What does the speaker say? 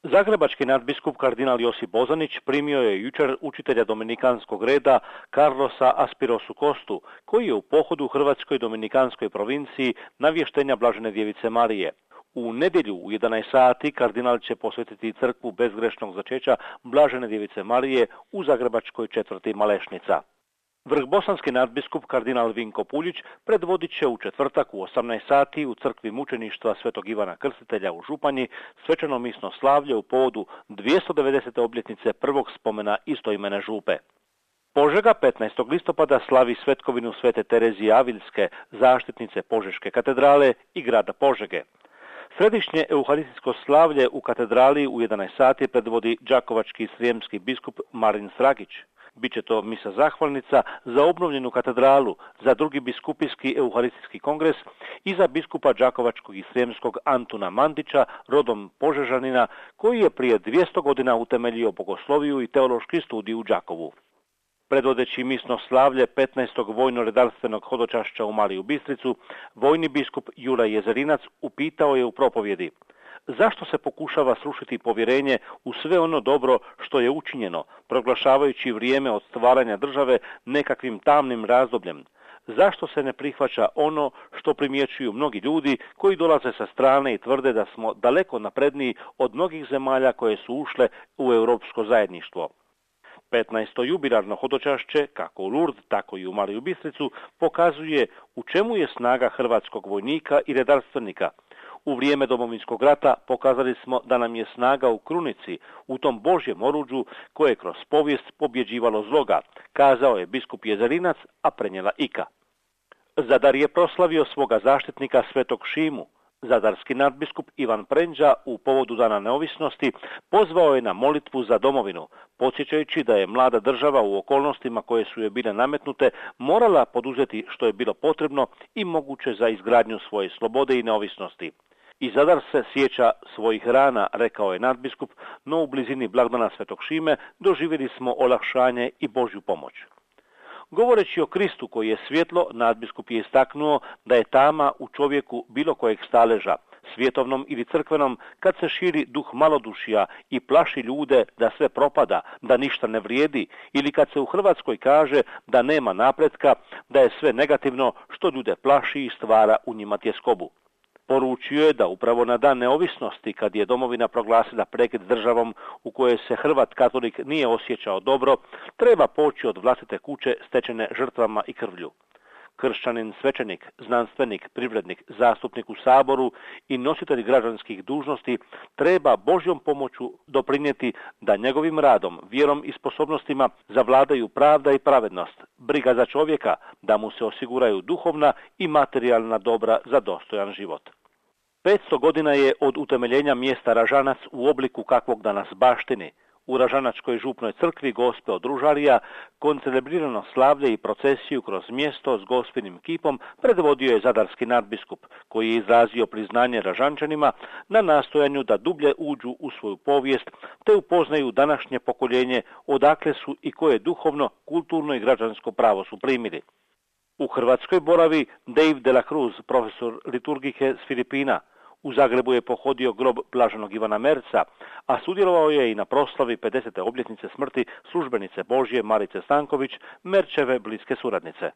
Zagrebački nadbiskup kardinal Josip Bozanić primio je jučer učitelja dominikanskog reda Carlosa Aspirosu Kostu, koji je u pohodu u Hrvatskoj dominikanskoj provinciji navještenja Blažene djevice Marije. U nedjelju u 11 sati kardinal će posvetiti crkvu bezgrešnog začeća Blažene djevice Marije u zagrebačkoj četvrti Malešnica. Vrhbosanski nadbiskup kardinal Vinko Puljić predvodit će u četvrtak u 18 sati u crkvi mučeništva Svetog Ivana Krstitelja u Županji svečano misno slavlje u povodu 290. obljetnice prvog spomena istoimene župe. Požega 15. listopada slavi svetkovinu Svete Terezije Aviljske, zaštitnice Požeške katedrale i grada Požege. Središnje euharistijsko slavlje u katedrali u 11 sati predvodi đakovački srijemski biskup Marin Sragić. Biće to misa zahvalnica za obnovljenu katedralu, za drugi biskupijski euharistijski kongres i za biskupa đakovačkog i srijemskog Antuna Mandića, rodom Požežanina, koji je prije 200 godina utemeljio bogosloviju i teološki studij u Đakovu. Predvodeći misno slavlje 15. vojno-redarstvenog hodočašća u Mariju Bistricu, vojni biskup Juraj Jezerinac upitao je u propovjedi: zašto se pokušava srušiti povjerenje u sve ono dobro što je učinjeno, proglašavajući vrijeme od stvaranja države nekakvim tamnim razdobljem? Zašto se ne prihvaća ono što primjećuju mnogi ljudi koji dolaze sa strane i tvrde da smo daleko napredniji od mnogih zemalja koje su ušle u europsko zajedništvo? 15. jubilarno hodočašće, kako u Lourdes, tako i u Mariju Bistricu, pokazuje u čemu je snaga hrvatskog vojnika i redarstvenika. U vrijeme Domovinskog rata pokazali smo da nam je snaga u krunici, u tom Božjem oruđu koje je kroz povijest pobjeđivalo zloga, kazao je biskup Jezerinac, a prenijela Ika. Zadar je proslavio svoga zaštitnika Svetog Šimu. Zadarski nadbiskup Ivan Prendža u povodu Dana neovisnosti pozvao je na molitvu za domovinu, podsjećajući da je mlada država u okolnostima koje su joj bile nametnute morala poduzeti što je bilo potrebno i moguće za izgradnju svoje slobode i neovisnosti. I Zadar se sjeća svojih rana, rekao je nadbiskup, no u blizini blagdana Svetog Šime doživjeli smo olakšanje i Božju pomoć. Govoreći o Kristu koji je svjetlo, nadbiskup je istaknuo da je tama u čovjeku bilo kojeg staleža, svjetovnom ili crkvenom, kad se širi duh malodušja i plaši ljude da sve propada, da ništa ne vrijedi, ili kad se u Hrvatskoj kaže da nema napretka, da je sve negativno što ljude plaši i stvara u njima tjeskobu. Poručio je da upravo na Dan neovisnosti, kad je domovina proglasila prekid s državom u kojoj se Hrvat katolik nije osjećao dobro, treba poći od vlastite kuće stečene žrtvama i krvlju. Kršćanin, svećenik, znanstvenik, privrednik, zastupnik u Saboru i nositelj građanskih dužnosti treba Božjom pomoću doprinijeti da njegovim radom, vjerom i sposobnostima zavladaju pravda i pravednost, briga za čovjeka, da mu se osiguraju duhovna i materijalna dobra za dostojan život. 500 godina je od utemeljenja mjesta Ražanac u obliku kakvog danas baštini. U Ražanačkoj župnoj crkvi Gospe od Ružarija koncelebrirano slavlje i procesiju kroz mjesto s Gospinim kipom predvodio je zadarski nadbiskup, koji je izrazio priznanje Ražančanima na nastojanju da dublje uđu u svoju povijest te upoznaju današnje pokoljenje odakle su i koje duhovno, kulturno i građansko pravo su primili. U Hrvatskoj boravi Dave de la Cruz, profesor liturgike s Filipina. U Zagrebu je pohodio grob blaženog Ivana Merca, a sudjelovao je i na proslavi 50. obljetnice smrti službenice Božje Marice Stanković, Merčeve bliske suradnice.